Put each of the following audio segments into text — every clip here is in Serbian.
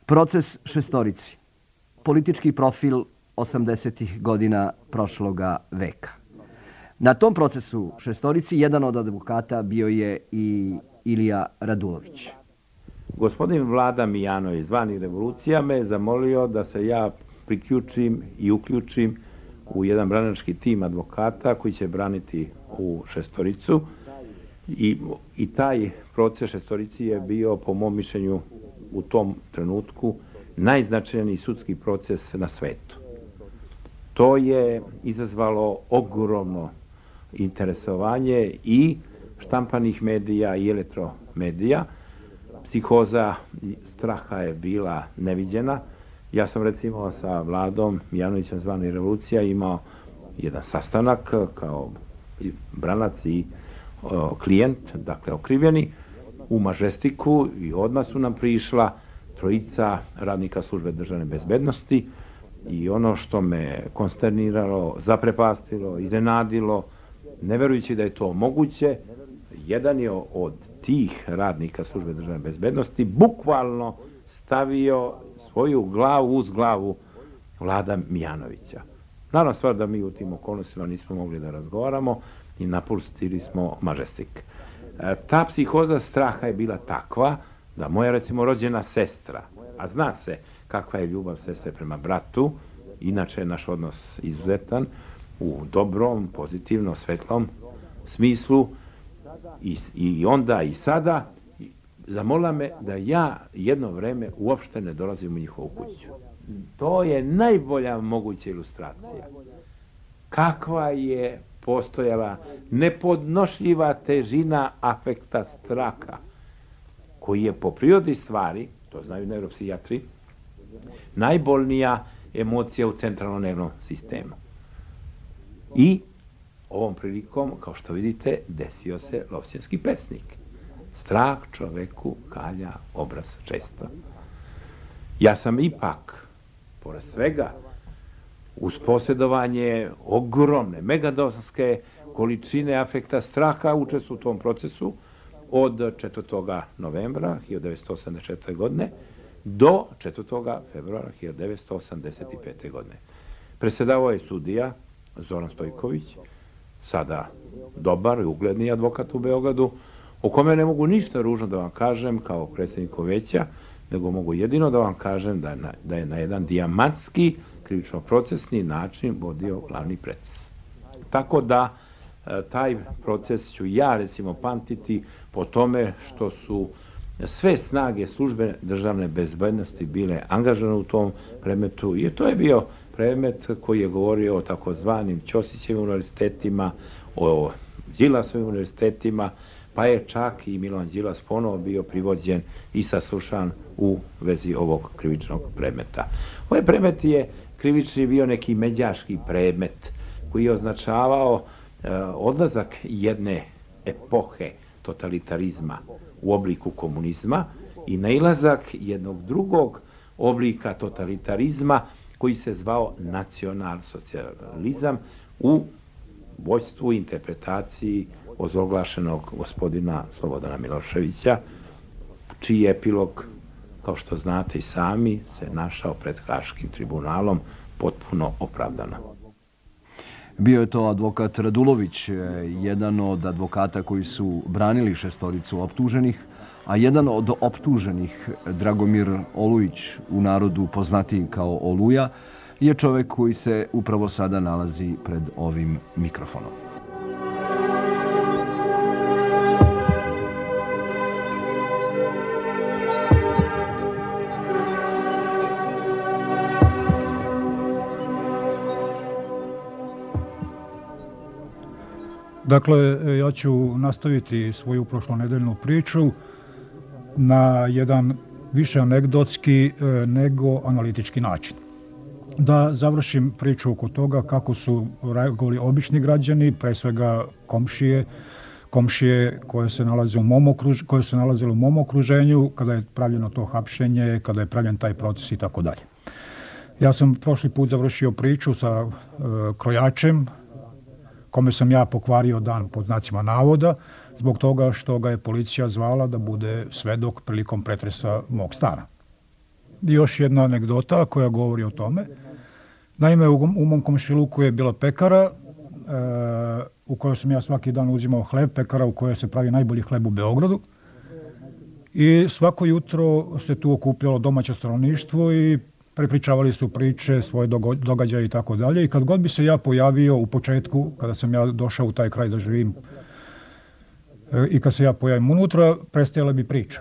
Proces šestorici. Politički profil 80. godina prošloga veka. Na tom procesu šestorici jedan od advokata bio je i Ilija Radulović. Gospodin Vlada Mijanović, zvani Revolucija, me zamolio da se ja priključim i uključim u jedan branilački tim advokata koji će braniti u šestoricu. I taj proces šestorici je bio, po mom mišljenju, u tom trenutku najznačajniji sudski proces na svetu. To je izazvalo ogromno interesovanje i štampanih medija i elektromedija. Psihoza straha je bila neviđena. Ja sam recimo sa Vladom Mijanovićem, zvani Revolucija, imao jedan sastanak kao branac i klijent, dakle okrivljeni, u Mažestiku, i odmah su nam prišla trojica radnika službe državne bezbednosti i ono što me konsterniralo, zaprepastilo, iznenadilo, ne verujući da je to moguće, jedan je od tih radnika službe državne bezbednosti bukvalno stavio svoju glavu uz glavu Vlada Mijanovića. Naravno stvar da mi u tim okolnostima nismo mogli da razgovaramo i napustili smo Mažestik. Ta psihoza straha je bila takva da moja, recimo, rođena sestra, a zna se kakva je ljubav sestre prema bratu, inače je naš odnos izuzetan, u dobrom, pozitivnom, svetlom smislu, i onda i sada, zamolila me da ja jedno vreme uopšte ne dolazim u njihovu kuću. To je najbolja moguća ilustracija. Kakva je postojala nepodnošljiva težina afekta straha, koji je po prirodi stvari, to znaju neuropsijatri, najbolnija emocija u centralnom nervnom sistemu. I ovom prilikom, kao što vidite, desio se Lovćenski pesnik. Strah čoveku kalja obraz često. Ja sam ipak, pored svega, uz posjedovanje ogromne, megadosske količine afekta straha, učestvovao u tom procesu od 4. novembra 1984. godine do 4. februara 1985. godine. Predsjedavao je sudija Zoran Stojković, sada dobar i ugledni advokat u Beogradu, o kome ne mogu ništa ružno da vam kažem kao predsjedniku veća, nego mogu jedino da vam kažem da je na jedan dijamantski, krivično-procesni način vodio glavni proces. Tako da taj proces ću ja, recimo, pamtiti po tome što su sve snage službe državne bezbednosti bile angažovane u tom predmetu, i to je bio predmet koji je govorio o takozvanim Ćosićevim univerzitetima, o Đilasovim univerzitetima, pa je čak i Milovan Đilas ponovo bio privođen i saslušan u vezi ovog krivičnog predmeta. Ovaj predmet je krivični bio neki međaški predmet koji je označavao odlazak jedne epohe totalitarizma u obliku komunizma i nailazak jednog drugog oblika totalitarizma koji se zvao nacionalsocijalizam u vođstvu i interpretaciji ozloglašenog gospodina Slobodana Miloševića, čiji epilog, kao što znate i sami, se našao pred Haškim tribunalom potpuno opravdano. Bio je to advokat Radulović, jedan od advokata koji su branili šestoricu optuženih, a jedan od optuženih, Dragomir Olujić, u narodu poznatiji kao Oluja, je čovek koji se upravo sada nalazi pred ovim mikrofonom. Dakle, ja ću nastaviti svoju prošlonedeljnu priču na jedan više anegdotski nego analitički način. Da završim priču oko toga kako su reagovali obični građani, pre svega komšije koje se nalazile u mom okruženju, kada je pravljeno to hapšenje, kada je pravljen taj proces i tako dalje. Ja sam prošli put završio priču sa krojačem, kome sam ja pokvario dan pod znacima navoda, zbog toga što ga je policija zvala da bude svedok prilikom pretresa mog stana. još jedna anegdota koja govori o tome. Naime, u mom komšiluku je bila pekara u kojoj sam ja svaki dan uzimao hleb, pekara u kojoj se pravi najbolji hleb u Beogradu. I svako jutro se tu okupljalo domaće stanovništvo i prepričavali su priče, svoje događaje i tako dalje. I kad god bi se ja pojavio u početku, kada sam ja došao u taj kraj da živim, i kad se ja pojavim unutra, prestajala bi priča.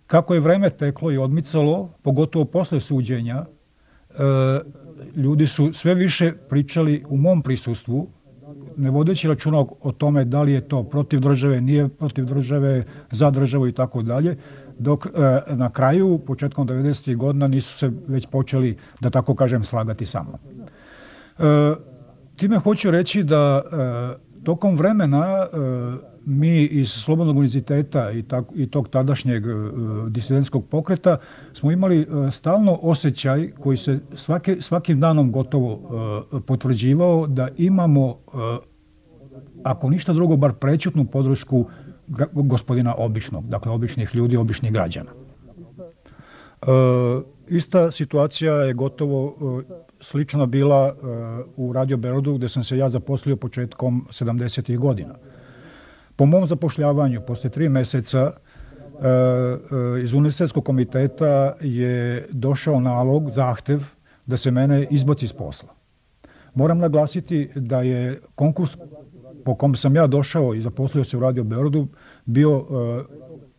Kako je vreme teklo i odmicalo, pogotovo posle suđenja, ljudi su sve više pričali u mom prisustvu, ne vodeći računa o tome da li je to protiv države, nije protiv države, za državu i tako dalje, dok na kraju, početkom 90. godina, nisu se već počeli, da tako kažem, slagati sa mnom. Time hoću reći da tokom vremena mi iz Slobodnog univerziteta i tog tadašnjeg disidentskog pokreta smo imali stalno osjećaj koji se svakim danom gotovo potvrđivao da imamo, ako ništa drugo, bar prećutnu podršku gospodina običnog, dakle običnih ljudi, običnih građana. Ista situacija je gotovo slična bila u Radio Beogradu, gde sam se ja zaposlio početkom 70. godina. Po mom zapošljavanju, posle 3 meseca, iz Univerzitetskog komiteta je došao nalog, zahtev, da se mene izbaci iz posla. Moram naglasiti da je konkurs po kom sam ja došao i zaposlio se u Radio Beogradu bio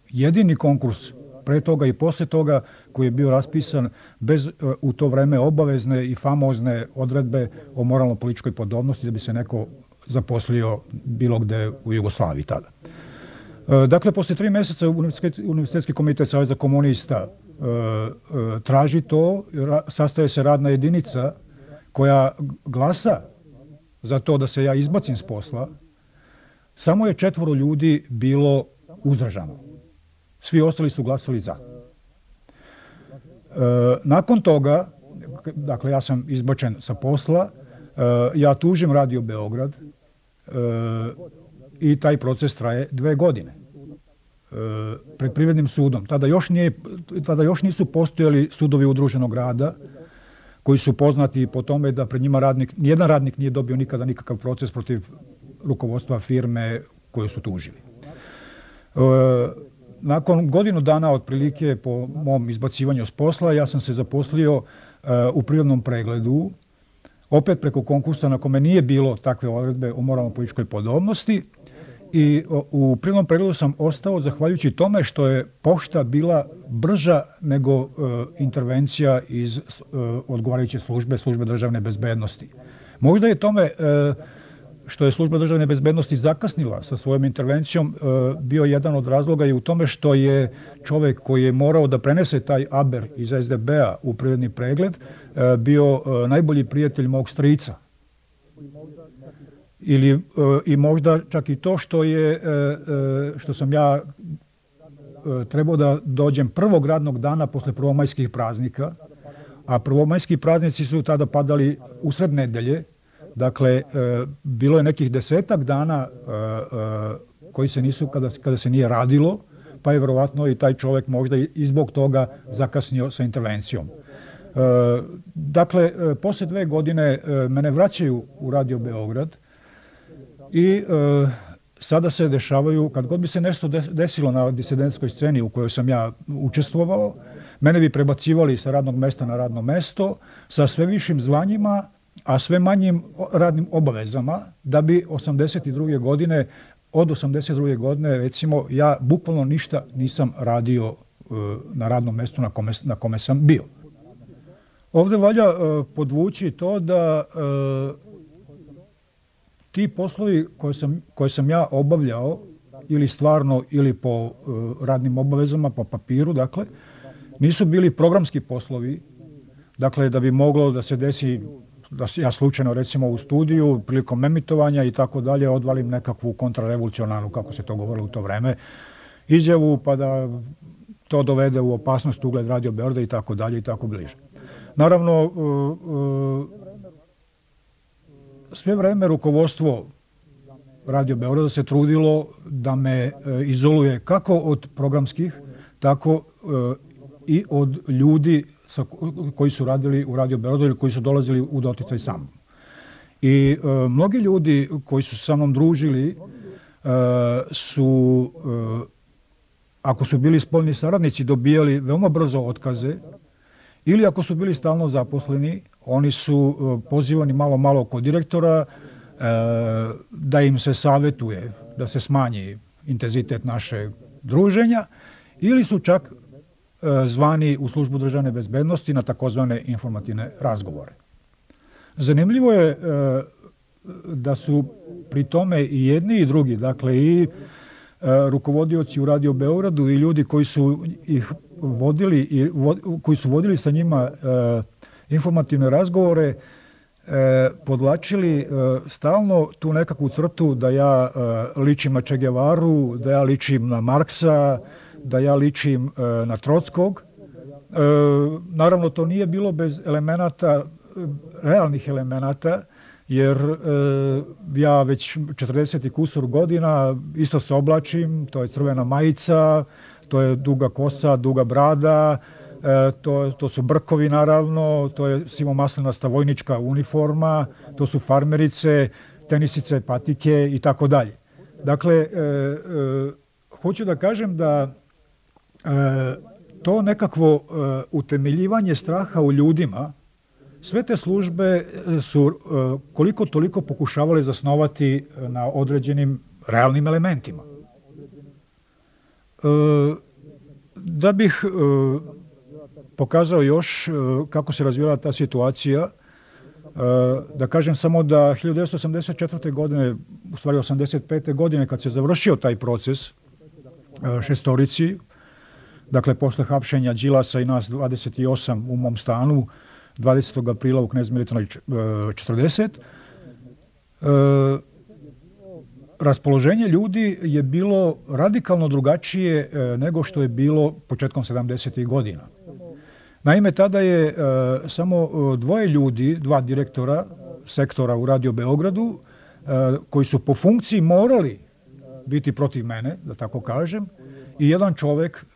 jedini konkurs pre toga i posle toga koji je bio raspisan bez u to vreme obavezne i famozne odredbe o moralno-političkoj podobnosti da bi se neko zaposlio bilo gde u Jugoslaviji tada. Dakle, posle 3 meseca Univerzitetski komitet Saveza komunista traži to, sastaje se radna jedinica koja glasa za to da se ja izbacim s posla. Samo je 4 ljudi bilo uzdržano. Svi ostali su glasali za. Nakon toga, dakle ja sam izbačen sa posla, ja tužim Radio Beograd i taj proces traje 2 godine. Pred privrednim sudom. Tada još nisu postojali sudovi udruženog rada koji su poznati po tome da pred njima nijedan radnik nije dobio nikada nikakav proces protiv rukovodstva firme koju su tužili. Nakon godinu dana otprilike po mom izbacivanju s posla, ja sam se zaposlio u prirodnom pregledu, opet preko konkursa na kome nije bilo takve odredbe o moralno-političkoj podobnosti, i u prirodnom pregledu sam ostao zahvaljujući tome što je pošta bila brža nego intervencija iz odgovarajuće službe državne bezbednosti. Možda je tome što je služba državne bezbednosti zakasnila sa svojom intervencijom bio jedan od razloga i u tome što je čovek koji je morao da prenese taj aber iz SDB-a u prirodni pregled bio najbolji prijatelj mog strica. I možda čak i to što sam ja trebao da dođem prvog radnog dana posle prvomajskih praznika, a prvomajski praznici su tada padali usred nedelje. Dakle, bilo je nekih 10-ak dana koji se nisu, kada se nije radilo, pa je verovatno i taj čovek možda i zbog toga zakasnio sa intervencijom. Dakle, posle 2 godine mene vraćaju u Radio Beograd i sada se dešavaju, kad god bi se nešto desilo na disidentskoj sceni u kojoj sam ja učestvovao, mene bi prebacivali sa radnog mesta na radno mesto, sa sve višim zvanjima, a sve manjim radnim obavezama, da bi od 82. godine, recimo, ja bukvalno ništa nisam radio na radnom mestu na kome sam bio. Ovde valja podvući to da ti poslovi koje sam ja obavljao, ili stvarno, ili po radnim obavezama, po papiru, dakle, nisu bili programski poslovi, dakle, da bi moglo da se desi da ja slučajno, recimo, u studiju, prilikom emitovanja i tako dalje, odvalim nekakvu kontrarevolucionarnu, kako se to govorilo u to vreme, izjavu, pa da to dovede u opasnost ugled Radio Beograda i tako dalje i tako bliže. Naravno, sve vreme rukovodstvo Radio Beograda se trudilo da me izoluje kako od programskih, tako i od ljudi koji su radili u Radio Beogradu ili koji su dolazili u doticaj sa mnom. I mnogi ljudi koji su sa mnom družili su, ako su bili spoljni saradnici, dobijali veoma brzo otkaze, ili ako su bili stalno zaposleni, oni su pozivani malo kod direktora da im se savjetuje da se smanji intenzitet našeg druženja, ili su čak zvani u službu državne bezbednosti na takozvane informativne razgovore. Zanimljivo je da su pri tome i jedni i drugi, dakle i rukovodioci u Radio Beogradu i ljudi koji su ih vodili koji su vodili sa njima informativne razgovore, podvlačili stalno tu nekakvu crtu da ja ličim na Che Guevaru, da ja ličim na Marksa, da ja ličim na Trockog. Naravno, to nije bilo bez elemenata, realnih elemenata, jer ja već 40 i kusur godina isto se oblačim, to je crvena majica, to je duga kosa, duga brada, to su brkovi naravno, to je sivomaslenasta vojnička uniforma, to su farmerice, tenisice, patike i tako dalje. Dakle, hoću da kažem da to nekakvo utemeljivanje straha u ljudima, sve te službe su koliko toliko pokušavale zasnovati na određenim realnim elementima. Da bih pokazao još kako se razvijala ta situacija, da kažem samo da 1984. godine, u stvari 85. godine, kad se završio taj proces šestorici, dakle posle hapšenja Đilasa i nas 28 u mom stanu, 20. aprila u Knez Militanoj 40, raspoloženje ljudi je bilo radikalno drugačije nego što je bilo početkom 70. godina. Naime, tada je samo dvoje ljudi, dva direktora sektora u Radio Beogradu, koji su po funkciji morali biti protiv mene, da tako kažem, i jedan čovek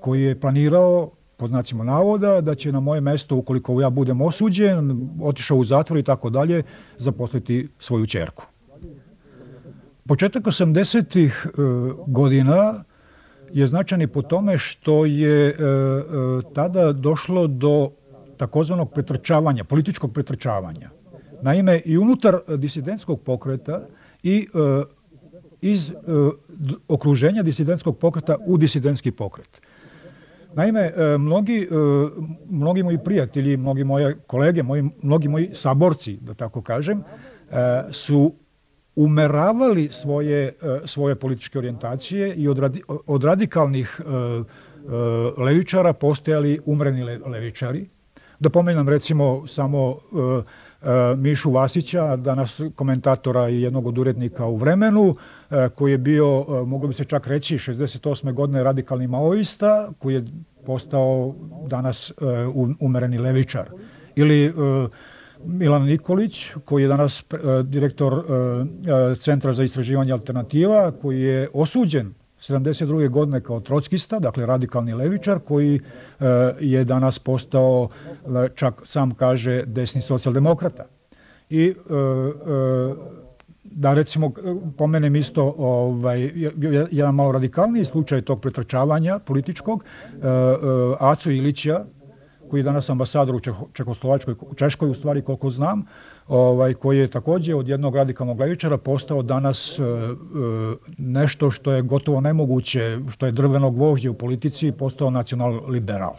koji je planirao, pod znacima navoda, da će na moje mesto, ukoliko ja budem osuđen, otišao u zatvor i tako dalje, zaposliti svoju ćerku. Početak 80-ih godina je značajan i po tome što je tada došlo do takozvanog pretrčavanja, političkog pretrčavanja. Naime, i unutar disidentskog pokreta i iz okruženja disidentskog pokreta u disidentski pokret. Naime, mnogi moji prijatelji, mnogi moje kolege, mnogi moji saborci, da tako kažem, su umeravali svoje političke orijentacije i od radikalnih levičara postajali umreni levičari. Da pomenem recimo samo Mišu Vasića, danas komentatora i jednog od urednika u Vremenu, koji je bio, moglo bi se čak reći, 68. godine radikalni maoista, koji je postao danas umereni levičar. Ili Milan Nikolić, koji je danas direktor Centra za istraživanje alternativa, koji je osuđen 72. godine kao trockista, dakle radikalni levičar, koji je danas postao, čak sam kaže, desni socijaldemokrata. I da recimo pomenem isto jedan malo radikalniji slučaj tog pretrčavanja političkog, Aco Ilića, koji je danas ambasador u Čehoslovačkoj, u Češkoj u stvari koliko znam, koji je također od jednog radikalnog levičara postao danas nešto što je gotovo nemoguće, što je drveno gvožđe u politici, postao nacional-liberal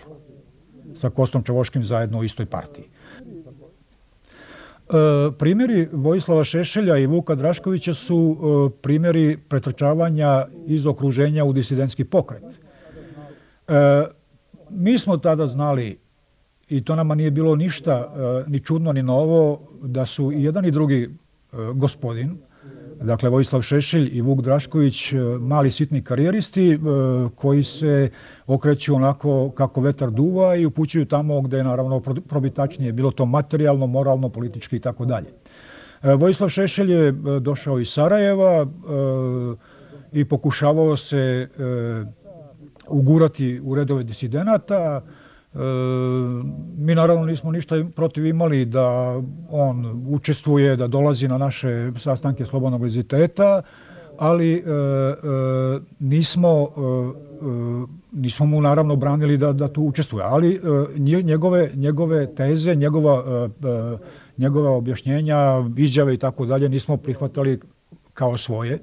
sa Kostom Čavoškim zajedno u istoj partiji. Primjeri Vojislava Šešelja i Vuka Draškovića su primjeri pretrčavanja iz okruženja u disidentski pokret. Mi smo tada znali, i to nama nije bilo ništa ni čudno ni novo, da su i jedan i drugi gospodin, dakle Vojislav Šešelj i Vuk Drašković, mali sitni karijeristi koji se okreću onako kako vetar duva i upućuju tamo gde je naravno probitačnije, bilo to materijalno, moralno, politički i tako dalje. Vojislav Šešelj je došao iz Sarajeva i pokušavao se ugurati u redove disidenata. Mi naravno nismo ništa protiv imali da on učestvuje, da dolazi na naše sastanke Slobodnog univerziteta, ali nismo mu naravno branili da tu učestvuje. Ali njegove teze, njegova objašnjenja, izjave i tako dalje nismo prihvatali kao svoje.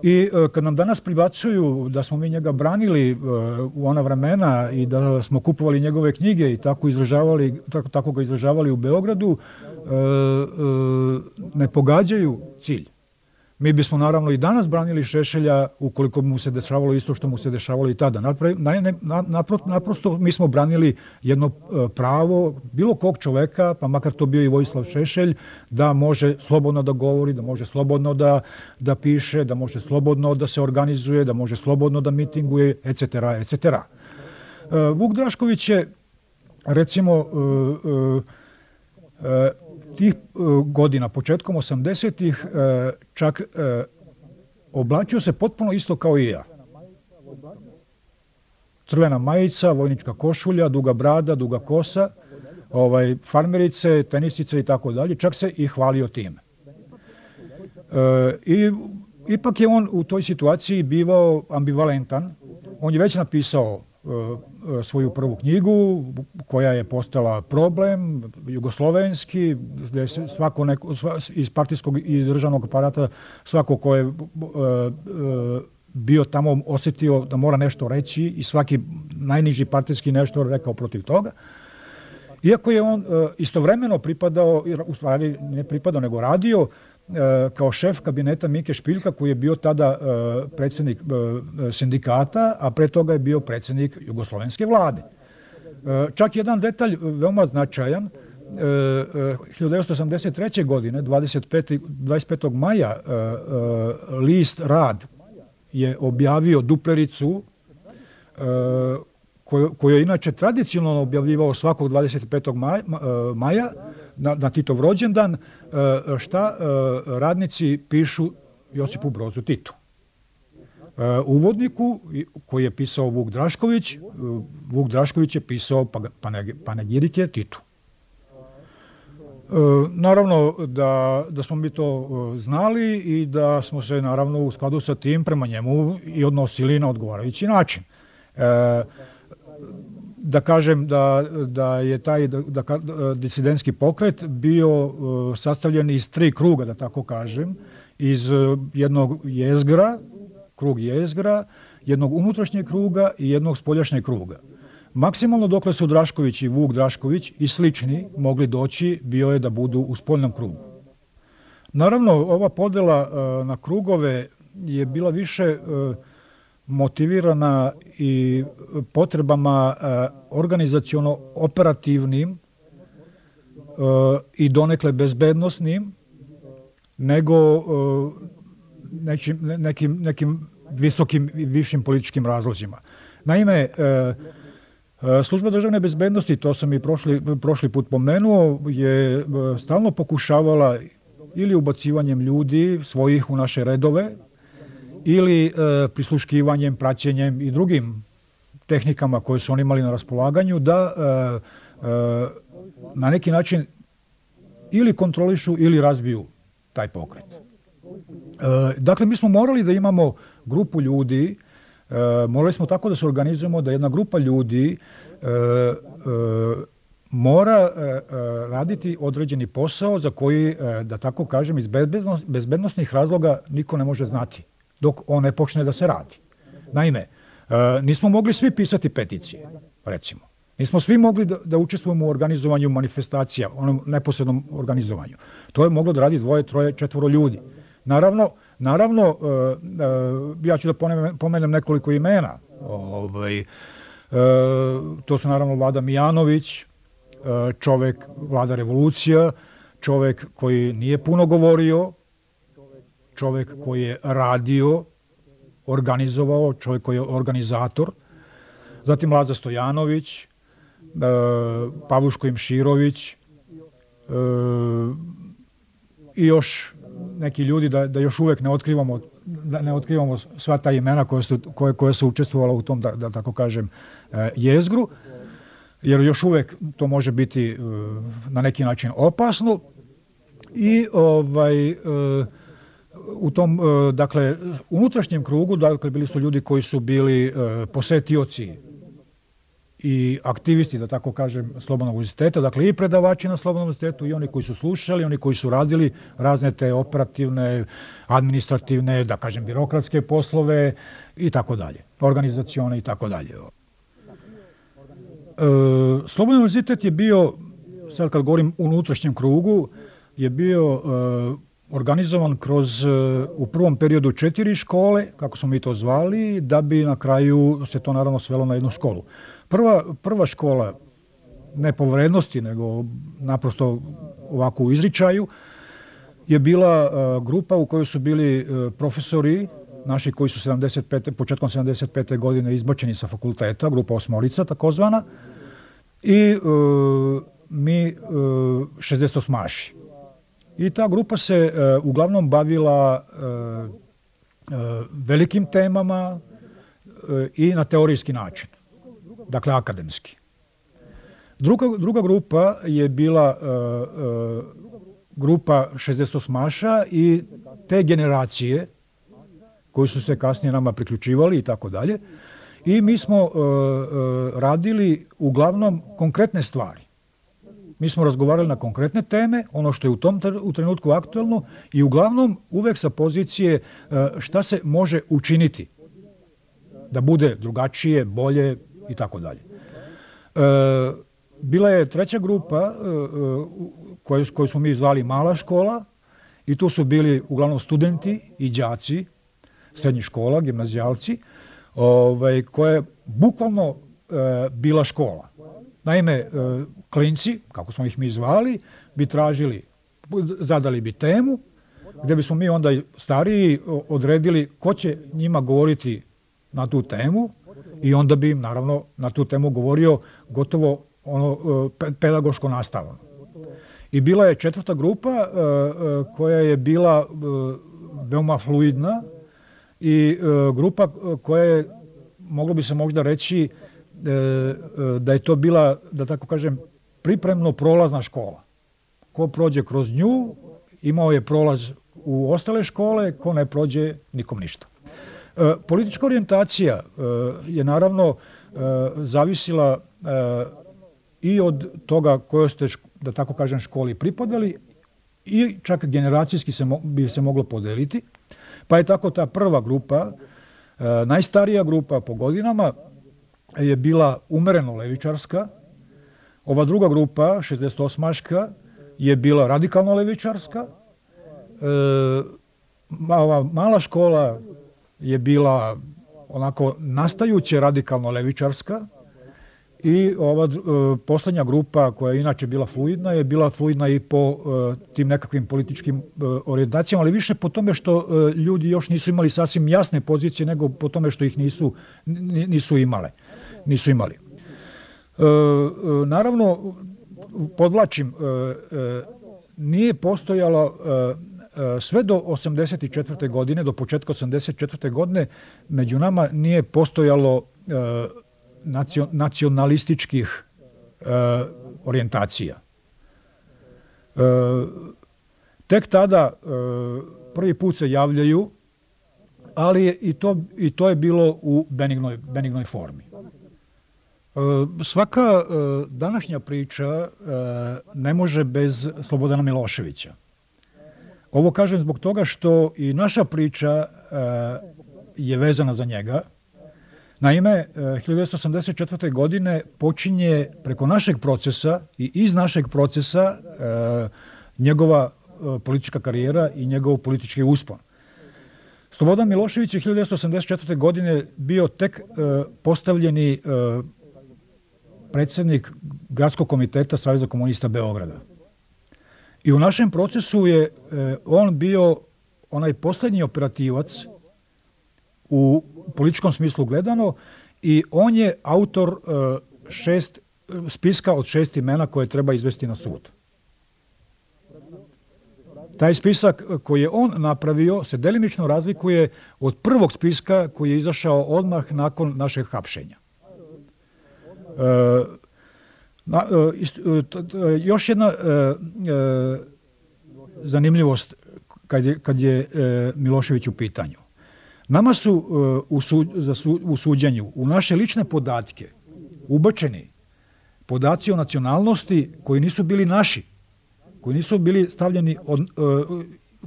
I kad nam danas pribacuju da smo mi njega branili u ona vremena i da smo kupovali njegove knjige i tako ga izražavali u Beogradu, ne pogađaju cilj. Mi bismo naravno i danas branili Šešelja ukoliko mu se dešavalo isto što mu se dešavalo i tada. Naprosto mi smo branili jedno pravo bilo kog čoveka, pa makar to bio i Vojislav Šešelj, da može slobodno da govori, da može slobodno da piše, da može slobodno da se organizuje, da može slobodno da mitinguje, etc. etc. Vuk Drašković je, recimo, tih godina, početkom 80-ih, čak oblačio se potpuno isto kao i ja. Crvena majica, vojnička košulja, duga brada, duga kosa, farmerice, tenisice i tako dalje, čak se i hvalio time. I ipak je on u toj situaciji bivao ambivalentan. On je već napisao svoju prvu knjigu koja je postala problem, jugoslovenski, gde se svako iz partijskog i državnog aparata, svako ko je bio tamo osjetio da mora nešto reći i svaki najniži partijski nešto rekao protiv toga. Iako je on istovremeno pripadao, u stvari ne pripadao nego radio, kao šef kabineta Mike Špiljka, koji je bio tada predsjednik sindikata, a pre toga je bio predsjednik jugoslovenske vlade. Čak jedan detalj veoma značajan, 1983. godine, 25. maja, list Rad je objavio duplericu koju je inače tradicionalno objavljivao svakog 25. maja na Titov rođendan, šta radnici pišu Josipu Brozu Titu. Uvodniku koji je pisao Vuk Drašković je pisao panegirike Titu. Naravno da smo mi to znali i da smo se naravno u skladu sa tim prema njemu i odnosili na odgovarajući način. Da kažem da je taj disidentski pokret bio sastavljen iz 3 kruga, da tako kažem, iz jednog jezgra, krug jezgra, jednog unutrašnjeg kruga i jednog spoljašnjeg kruga. Maksimalno dokle su Drašković i Vuk Drašković i slični mogli doći, bio je da budu u spoljnom krugu. Naravno, ova podela na krugove je bila više motivirana i potrebama organizaciono-operativnim i donekle bezbednosnim, nego nekim visokim i višim političkim razlozima. Naime, Služba državne bezbednosti, to sam i prošli put pomenuo, je stalno pokušavala ili ubacivanjem ljudi svojih u naše redove, ili prisluškivanjem, praćenjem i drugim tehnikama koje su oni imali na raspolaganju, da na neki način ili kontrolišu ili razbiju taj pokret. Dakle, mi smo morali da imamo grupu ljudi, morali smo tako da se organizujemo da jedna grupa ljudi mora raditi određeni posao za koji, da tako kažem, iz bezbednosnih razloga niko ne može znati dok on ne počne da se radi. Naime, nismo mogli svi pisati peticije, recimo. Nismo svi mogli da učestvujemo u organizovanju manifestacija, onom neposrednom organizovanju. To je moglo da radi 2, 3, 4 ljudi. Naravno, ja ću da pomenem nekoliko imena. To su naravno Vlada Mijanović, čovek Vlada Revolucija, čovek koji nije puno govorio, čovek koji je radio, organizovao, čovek koji je organizator, zatim Laza Stojanović, Pavuško Imširović i još neki ljudi, da još uvek ne otkrivamo da ne otkrivamo sva ta imena koja su učestvovala u tom, da tako kažem, jezgru, jer još uvijek to može biti na neki način opasno. I u tom, dakle, unutrašnjem krugu, dakle, bili su ljudi koji su bili posetioci i aktivisti, da tako kažem, Slobodnog univerziteta, dakle i predavači na Slobodnom univerzitetu i oni koji su slušali, oni koji su radili razne te operativne, administrativne, da kažem, birokratske poslove i tako dalje, organizacione i tako dalje. Slobodni univerzitet je bio, sad kad govorim u unutrašnjem krugu, je bio organizovan kroz u prvom periodu 4 škole, kako smo mi to zvali, da bi na kraju se to naravno svelo na jednu školu. Prva škola, ne po vrednosti, nego naprosto ovako u izričaju, je bila grupa u kojoj su bili profesori naši koji su početkom 75. godine izbačeni sa fakulteta, grupa osmorica takozvana, i mi 68-maši. I ta grupa se uglavnom bavila velikim temama i na teorijski način, dakle akademski. Druga grupa je bila grupa 68-maša i te generacije koji su se kasnije nama priključivali i tako dalje. I mi smo radili uglavnom konkretne stvari. Mi smo razgovarali na konkretne teme, ono što je u trenutku aktualno i uglavnom uvek sa pozicije šta se može učiniti da bude drugačije, bolje i tako dalje. Bila je treća grupa koju smo mi zvali mala škola i tu su bili uglavnom studenti i đaci srednjih škola, gimnazijalci, koja je bukvalno bila škola. Naime, klinci, kako smo ih mi zvali, bi zadali bi temu, gdje bismo mi onda stariji odredili ko će njima govoriti na tu temu i onda bi im naravno na tu temu govorio gotovo pedagoško nastavno. I bila je četvrta grupa koja je bila veoma fluidna i grupa koja je, moglo bi se možda reći, da je to bila, da tako kažem, pripremno prolazna škola. Ko prođe kroz nju, imao je prolaz u ostale škole, ko ne prođe, nikom ništa. Politička orijentacija je naravno zavisila i od toga kojoj ste, da tako kažem, školi pripadali i čak generacijski bi se moglo podeliti. Pa je tako ta prva grupa, najstarija grupa po godinama, je bila umereno levičarska. Ova druga grupa, 68-maška, je bila radikalno levičarska. Ova mala škola je bila onako nastajuće radikalno levičarska i ova posljednja grupa koja je inače bila fluidna je bila fluidna i po tim nekakvim političkim orijentacijama, ali više po tome što ljudi još nisu imali sasvim jasne pozicije nego po tome što ih nisu imali. Naravno, podvlačim, nije postojalo sve do 84. godine, do početka 84. godine, među nama nije postojalo nacionalističkih orijentacija. Tek tada prvi put se javljaju, ali i to je bilo u benignoj formi. Svaka današnja priča ne može bez Slobodana Miloševića. Ovo kažem zbog toga što i naša priča je vezana za njega. Naime, 1984. godine počinje preko našeg procesa i iz našeg procesa njegova politička karijera i njegov politički uspon. Slobodan Milošević je 1984. godine bio tek postavljeni predsjednik Gradskog komiteta Saveza komunista Beograda. I u našem procesu je on bio onaj posljednji operativac u političkom smislu gledano i on je autor spiska od 6 imena koje treba izvesti na sud. Taj spisak koji je on napravio se delimično razlikuje od prvog spiska koji je izašao odmah nakon našeg hapšenja. Još jedna zanimljivost kad je Milošević u pitanju. Nama su u suđenju u naše lične podatke ubačeni podaci o nacionalnosti koji nisu bili naši, koji nisu bili stavljeni,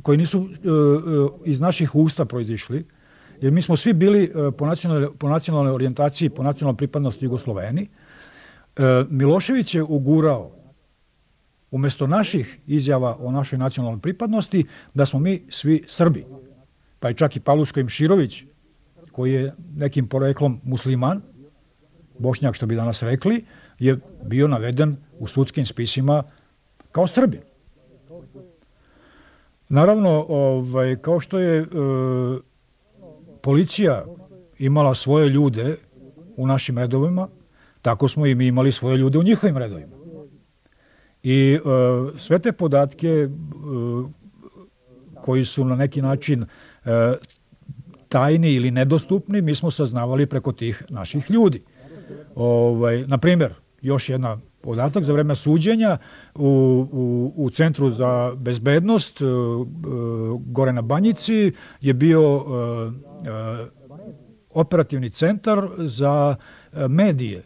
koji nisu iz naših usta proizišli, jer mi smo svi bili po nacionalnoj orijentaciji, po nacionalnoj pripadnosti Jugosloveni. Milošević je ugurao, umjesto naših izjava o našoj nacionalnoj pripadnosti, da smo mi svi Srbi. Pa i čak i Pavluško Imširović, koji je nekim poreklom musliman, Bošnjak što bi danas rekli, je bio naveden u sudskim spisima kao Srbin. Naravno, kao što je policija imala svoje ljude u našim redovima, tako smo i mi imali svoje ljude u njihovim redovima. I sve te podatke koji su na neki način tajni ili nedostupni, mi smo saznavali preko tih naših ljudi. Na primjer, još jedna podatak, za vreme suđenja u Centru za bezbednost gore na Banjici je bio operativni centar za medije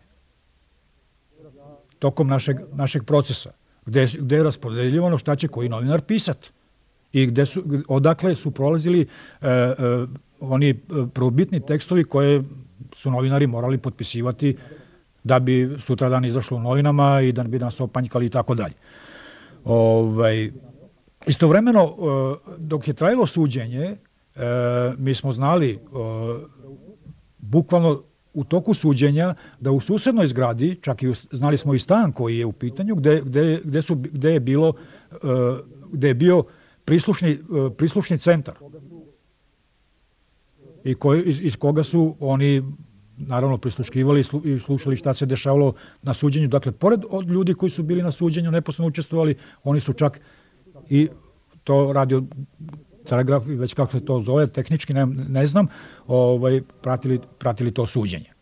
tokom našeg procesa, gde je raspodeljivano šta će koji novinar pisati i odakle su prolazili oni prvobitni tekstovi koje su novinari morali potpisivati da bi sutradan izašlo u novinama i da bi nas opanjkali i tako dalje. Istovremeno, dok je trajalo suđenje, mi smo znali bukvalno u toku suđenja da u susednoj zgradi, čak i znali smo i stan koji je u pitanju, gde je bio prislušni centar i iz koga su oni naravno prisluškivali i slušali šta se dešavalo na suđenju. Dakle, pored od ljudi koji su bili na suđenju, neposredno učestvovali, oni su čak i to radio telegraf, već kako se to zove, tehnički ne znam, pratili to suđenje.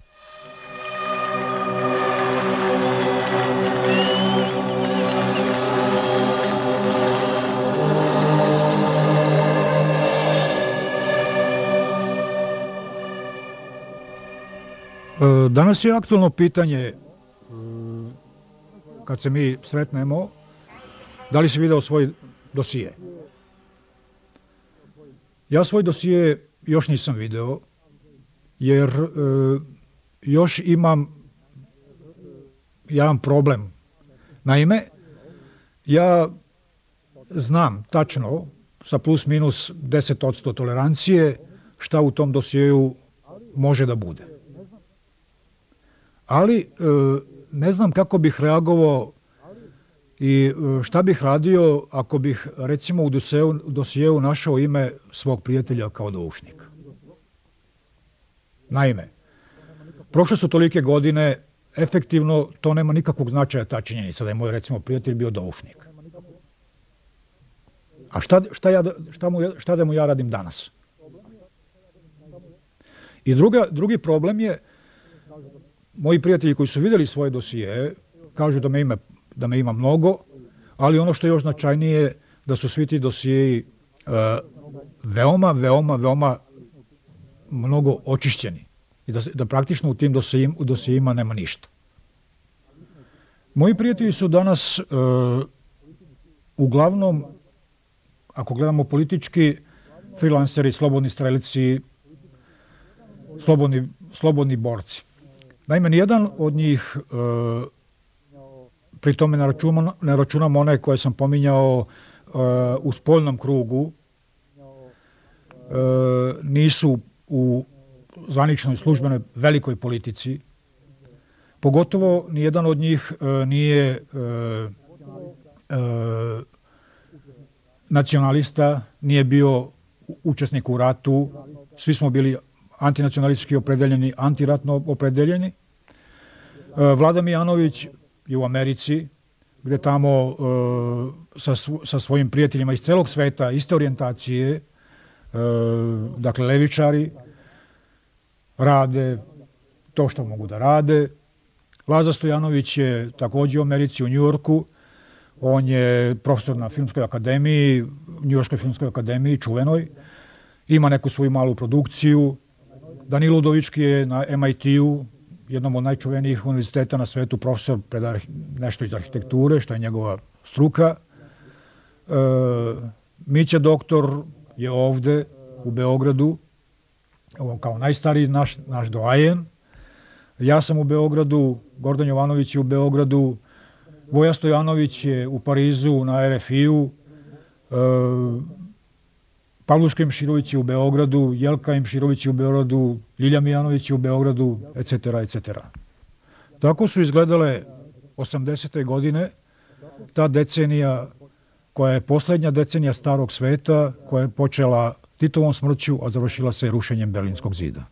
Danas je aktualno pitanje, kad se mi sretnemo, da li si video svoj dosije? Ja svoj dosije još nisam video, jer još imam jedan problem. Naime, ja znam tačno, sa plus minus 10% tolerancije, šta u tom dosijeju može da bude. Ali ne znam kako bih reagovao i šta bih radio ako bih recimo u dosijeu našao ime svog prijatelja kao doušnika. Naime, prošle su tolike godine, efektivno to nema nikakvog značaja ta činjenica da je moj recimo prijatelj bio doušnik. A šta da mu ja radim danas? I drugi problem je, moji prijatelji koji su vidjeli svoje dosije kažu da me ima mnogo, ali ono što je još značajnije da su svi ti dosijeji veoma mnogo očišćeni i da praktično u tim dosijima nema ništa. Moji prijatelji su danas uglavnom, ako gledamo politički, freelanceri, slobodni strelci, slobodni borci. Naime, nijedan od njih, pri tome ne računam one koje sam pominjao u spoljnom krugu, nisu u zvaničnoj službenoj velikoj politici. Pogotovo nijedan od njih nije nacionalista, nije bio učesnik u ratu, svi smo bili antinacionalistički opredeljeni, antiratno opredeljeni. Vlada Mijanović je u Americi, gde tamo sa svojim prijateljima iz celog sveta, iste orijentacije, dakle levičari, rade to što mogu da rade. Laza Stojanović je takođe u Americi, u Njujorku. On je profesor na filmskoj akademiji, Njujorškoj filmskoj akademiji, čuvenoj. Ima neku svoju malu produkciju. Danilo Udovički je na MIT-u, jednom od najčuvenijih univerziteta na svetu, profesor, predaje nešto iz arhitekture, što je njegova struka. Mića doktor je ovde u Beogradu, kao najstariji naš doajen. Ja sam u Beogradu, Gordan Jovanović je u Beogradu, Voja Stojanović je u Parizu na RFI-u, Pavluška Imširović je u Beogradu, Jelka Imširović je u Beogradu, Ljilja Mijanović je u Beogradu, etc., etc. Tako su izgledale 80. godine, ta decenija koja je poslednja decenija starog sveta, koja je počela Titovom smrću, a završila se rušenjem Berlinskog zida.